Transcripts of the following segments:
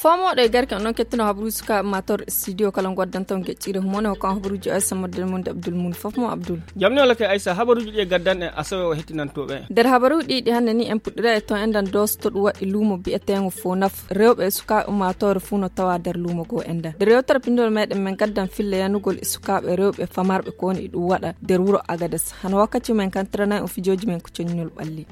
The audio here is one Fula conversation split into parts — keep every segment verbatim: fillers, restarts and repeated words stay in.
Foomoɗo e garke on ɗon kettuno habaruuji sukaaɓe mator studio kala ngoddanton geccire humone hokkan habaruuji o aysa model mun de abdul mun fof mo abdul. Jamni wala kay aysa habaruuji ɗi e gaddan e asawe o hettinantoɓe. Nder habaruuji ɗi ɗi hannde ni en puɗɗira e ton enɗan dosto ɗum waɗi luumo bi'eteengo fof naf rewɓe e sukaaɓe ummaatoore fuu no tawa nder luumo goo enɗan nder yewtere pindol meɗen men gaddan fille yanugol e sukaaɓe rewɓe famarɓe ko woni e ɗum waɗa nder wuro agades hano wakkati men kantirana en fijooji men ko coñinol ɓalli.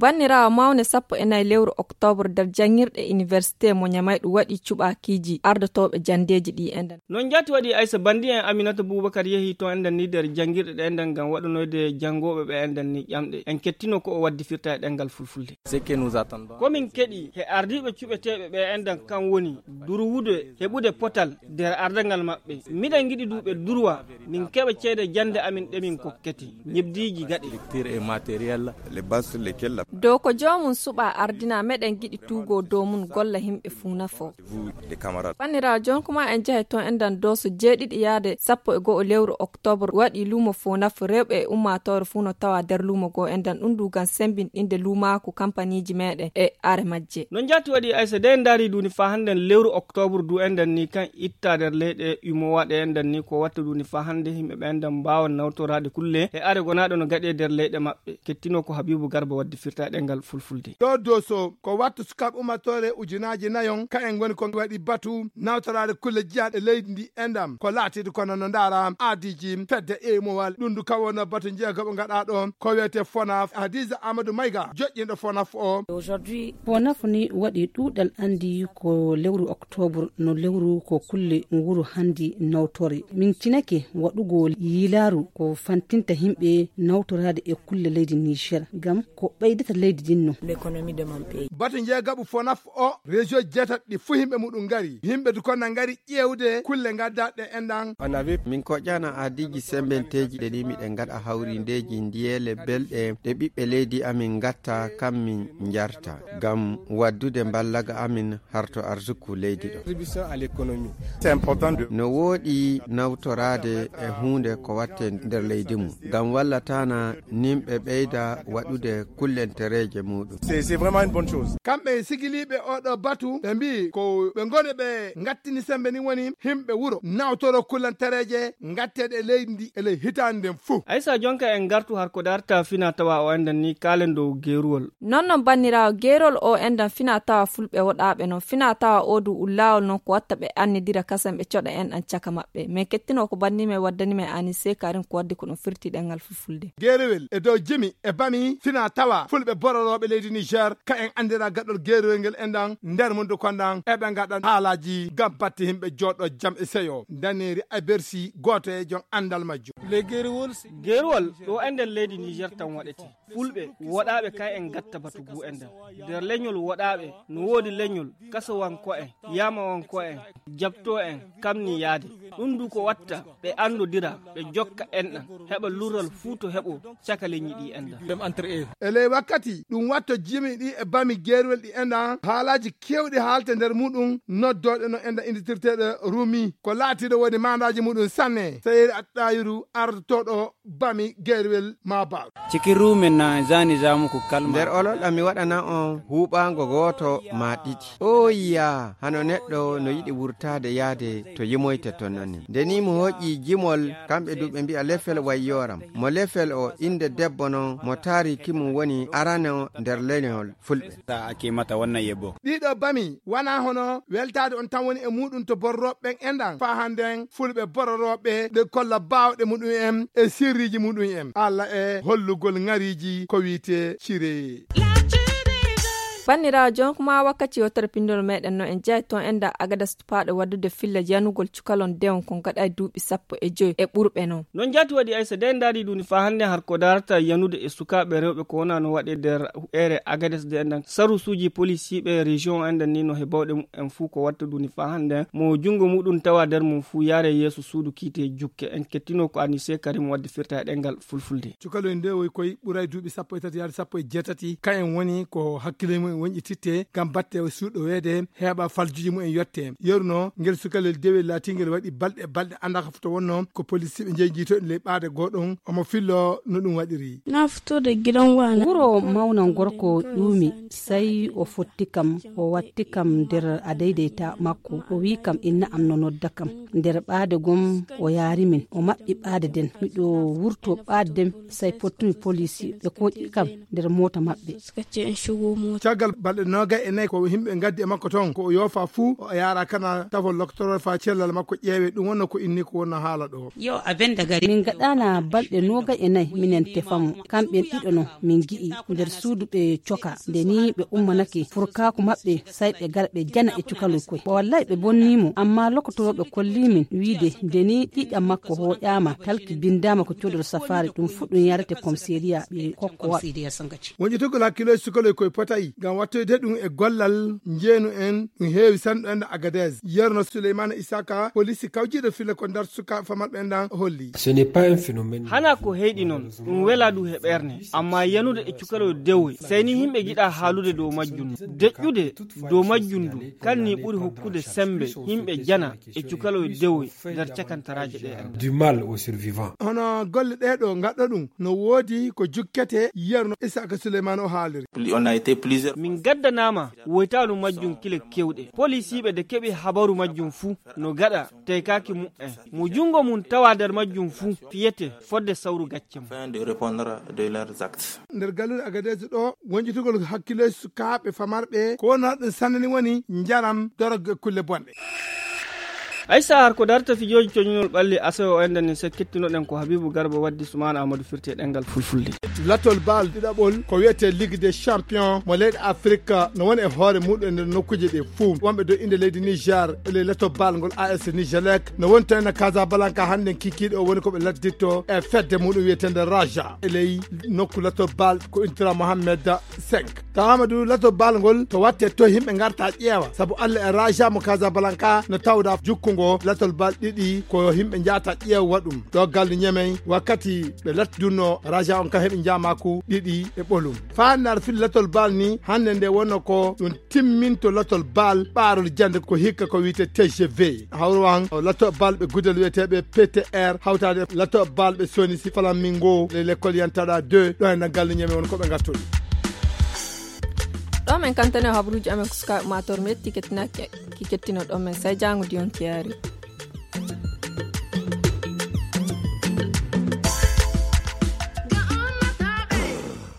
Banniraawo mawne sappo e nayi lewru oktoobre nder janngirɗe iniwersite mo ñamay ɗum waɗi cuɓaakiiji ardotooɓe janndeeji ɗi enɗan. Non njaati waɗi aysa banndi en aminata buubakar yehi to enɗan ni nder janngirɗe ɗe enɗan ngam waɗanoyde janngooɓe ɓe enɗan ni ƴamɗe en kettino ko o waddi firta e ɗemngal fulfulde. Komin keɗi he ardiiɓe cuɓeteeɓe ɓe enɗan kan woni durwude heɓude potal nder ardangal maɓɓe miɗen ngiɗi duuɓe durwa min keɓa ceede jannde amin ɗe min kokkete ñebdiiji gaɗe. Dow ko joomum suɓa ardina meɗen giɗi tuugo dow mum golla himɓe fuu nafo. Banniraawo jonkuma en jahe toon enɗan doso jeeɗiɗi yaade sappo e go'o lewru oktoobre waɗi luumo foo nafo rewɓe e ummaatoore fuu no tawa nder luumo goo enɗan ɗum ndu ngam sembinɗinde luumaaku kampaniiji meɗen e are majje. No njaati waɗi aysa de en ndaari duuni faa hannden lewru oktoobre du enɗan ni kan itta nder leyɗe umowa ɗe enɗan ni ko watta duuni faa hannde yimɓe ɓe enɗan mbaawa nawtoraade kulle e are gonaaɗo no gaɗe nder leyɗe maɓɓe kettino ko habiibu garba waddi firta e ɗemngal fulfulde. Ɗo doso ko wattu sukaaɓe ummatore ujunaaji nayon ka en ngoni ko waɗi batu nawtoraade kulle jiyaaɗe leydi ndi enɗan ko laatiiɗo kono no ndaara aadiiji fedde e mowal ɗum ndu kawono batu njeegaɓo ngaɗaaɗo ko wiyetee fonaf hadisa amadou mayga joƴƴinɗo fonaf o. Fonaf ni waɗi ɗuuɗal anndi ko lewru oktoobre no lewru ko kulle nguru hanndi nawtore min cinake waɗugol yilaaru ko fantinta yimɓe nawtoraade e kulle leydi niger ngam ko ɓeydata leydi ndin no. Batu njeegaɓu fonaf o région jeetaɗi ɗi fuu yimɓe muɗum ngari yimɓe dukonna ngari ƴeewde kulle ngaddaɗe enɗan. Min koƴƴana aadiiji sembenteeji ɗe ni miɗen ngaɗa hawrindeeji ndiyeele belɗe ɗe ɓiɓɓe leydi amin ngatta kam min njarta ngam waddude mballaga amin harto arsuku leydi ɗo. No wooɗi nawtoraade e huunde ko watte nder leydi mum ngam wallatana nimɓe ɓeyda waɗude kullentereeje muɗum. Kamɓe sigiliiɓe oɗo batu ɓe mbii ko ɓe ngoni ɓe ngattini sembe ni woni himɓe wuro nawtoro kullantereeje ngatteeɗe e leydi ndi e ley hitaande nden fuu. Aysa jonka en ngartu har ko darta fina tawa o enɗan ni kaalen dow geeruwol. Non non banniraawo geerol o enɗan fina tawa fulɓe woɗaaɓe non fina tawa o du ullaawol non ko watta ɓe annidira kasen ɓe coɗa enɗan caka maɓɓe men kettino ko banni men waddani men ani sekarin ko waddi ko ɗum firti ɗemngal fulfulde. Geerowel e dow jimi e bami fina tawa fulɓe bororooɓe leydi niger ka en anndira gaɗol geerowel ngel enɗan nder mum du konɗan eɓe ngaɗa haalaaji ngam batte yimɓe jooɗo jam e seyo daneeri a bersi gooto e jom anndal majjum. Geeruwol ɗo enɗan leydi niger tan waɗete fulɓe woɗaaɓe kay en ngatta batu gu enɗan nder leñol woɗaaɓe no woodi leñol kasowanko en yamawanko en jabto en kamni yaade ɗum du ko watta ɓe anndodira ɓe jokka enɗan heɓa lurral fuu to heɓo caka leñi ɗi enɗan. E ley wakkati ɗum watto jimi ɗi e bami geerwel ɗi enɗan haalaaji keewɗi haalte nder muɗum noddooɗe no enɗan inditirteeɗe rumi ko laatiiɗo woni maandaaji muɗum sanne seyeri attayiru ardotooɗo bami geerwel ma baaw. Cikin ruumen na zani zamu ku kalma. Nder olol ɗam mi waɗana on huuɓaango gooto ma ɗiɗi. Ooya hano neɗɗo no yiɗi wurtaade yaade to yimoyte ton non ni. Nde ni mo hoƴƴi jimol kamɓe du ɓe mbi'a lefel wayyooram. Mo lefel o innde debbo non mo taariki mum woni arano nder leñol fulɓe. Sa ake mata wannan yebbo. Ɗiɗo bami wana hono weltaade on tan woni e muɗum to borrooɓe ɓen enɗan faa hannden fulɓe bororooɓe ɗe kolla baawɗe muɗum en e sirriiji muɗum en alla e hollugol ŋariiji ko wiite cireye. Banniraawo, jon kuma wakkati yewtere pinndol meɗen no en jeyaay toon e nder Agadas tupaaɗo waɗude filla yanugol cukalon dewon kon gaɗa e duuɓi sappo e joy e ɓurɓe non. Non jaati waɗi Aysa de en ndaari ɗum ni faa hannde har ko darata yanude e sukaaɓe rewɓe ko wona no waɗe nder ere Agades de en ɗan. Sarusuuji polisiiɓe région en ɗan ni no he bawɗe mumen fuu ko watta ɗum ni faa hannde mo junngo muɗum tawa nder mum fuu yaare yeeso suudu kiite jukke. En kettino ko Anise Karim wadde firta e ɗemngal fulfulde. Cukalon nde woy koy ɓuray duuɓi sappo e tati yaade sappo e jeetati. Ka en woni ko hakkile mumen wonƴi titte ngam batte suuɗo weede heɓa faljuji mumen yotte. Yeru no ngel sukalel dewe laati ngel waɗi balɗe, balɗe annda ka foto wonno ko polisiiɓe njeyi jiito ley ɓaade goɗon. Omo fillo no ɗum waɗiri. Na fito da gidan wana. Wuro mawna gorko ƴuumi, sai o fotti kam, o watti kam nder adaidayta makko. O wi kam inna am no nodda kam. Nder ɓaade gom o yaari min, o maɓɓi ɓaade den. Miɗo wurto ɓaade den, sai pottumi polisi, ɓe koƴi kam nder mota maɓɓe. Suka ce in shigo mota. Caggal balɗe noogay e nayi ko yimɓe ngaddi e makko ton, ko o yoofa fuu, o yaara kana tafo loktorol faa cellal makko ƴeewe. Ɗum wonno ko inni ko wonno haala ɗo. Yo a benda gari. Min gaɗana balɗe noogay e nayi minen tefa mo. Kamɓen ɗiɗo non min gi'i nder suudu ɓe coka. Nde ni ɓe ummanake furkaaku maɓɓe, sai ɓe gara ɓe jana e cukaloy koy. Wallay ɓe bonni mo, amma lokotorooɓe kolli min wiide nde ni ƴiƴam makko hooƴaama, talki bindaama ko codol safaari, ɗum fuu ɗum yarete komiseriya ɓe kokkowa. Wonƴitugol hakkiloy sukaloy koy potay ngam wattoyde ɗum e gollal njeenu en, ɗum heewi sanɗo en Agadez. Yerno Souleymane Isaka, polisi kawjiiɗo filla ko ndar suka famarɓe en ɗan holli. Ce n'est pas un phénomène. Hana ko heyɗi non, ɗum wela ɗum he ɓerne, amma yanude e cukaloy dewoy, sai ni yimɓe giɗa haalude dow majjum. Deƴƴude dow majjum ndu, kan ni ɓuri hokkude sembe yimɓe jana e cukaloy dewoy nder cakantaraaje ɗe en. Du mal aux survivants. Hono golle ɗee ɗo ngaɗɗo ɗum no woodi ko jukkete, Yerno Isaka Souleymane o haaliri. On a été plusieurs. Min gaddanaama woytaalu majjum kile kewɗe. Polisiiɓe de keɓi habaru majjum fuu no gaɗa teykaaki mumen. Mo junngo mum tawa nder majjum fuu fiyete fodde sawru gacce mum. Afin de répondre de leurs actes. Nder galluɗe Agadez ɗo, wonƴitugol hakkile sukaaɓe famarɓe, ko wonno ɗum sanani woni njaram, dorog e kulle bonɗe. Ay sahar ko darta fijooji coñinol ɓalli asewo en ɗen, en sekkittinoɗen ko Habibu Garba waddi Sumaana Ahmadu firti e ɗemngal fulfulde. Latol bal ɗiɗaɓol ko wiyetee Ligue des Champions mo leyɗe Afrik no woni e hoore muɗum e nder nokkuuje ɗe fuu. Wonɓe dow innde leydi Niger e ley latol bal ngol A S Nigelec no woni toon e Casablanca hannden kikiiɗe o woni ko ɓe ladditto e fedde muɗum wiyeteende Raja e ley nokku latol bal ko Intra Mohamed cinq. Tawaama du latol bal ngol to watte to yimɓe ngarta ƴeewa, sabu Alla e Raja mo Casablanca no tawda jukkungo latol bal ɗiɗi ko yimɓe njaata ƴeewa ɗum. Ɗo gallu Ñemey wakkati ɓe lattidunno Raja on kam heɓi njaamaaku ɗiɗi e ɓolum. Faa nde ar fil latol bal ni hannde nde wonno ko ɗum timminto latol bal ɓaarol jannde ko hikka ko wiyetee T G V. Hawru an latol bal ɓe gudel wiyeteeɓe P T R hawtaade latol bal ɓe Sonisi Flamingo le l'école Yantara deux ɗo e ngal Ñemey won ko ɓe ngattori. Ɗo men kantane o habruuji amen ko sukaaɓe mator metti kettinaaki ki kettino ɗo men sai jaango diyon kiyaari.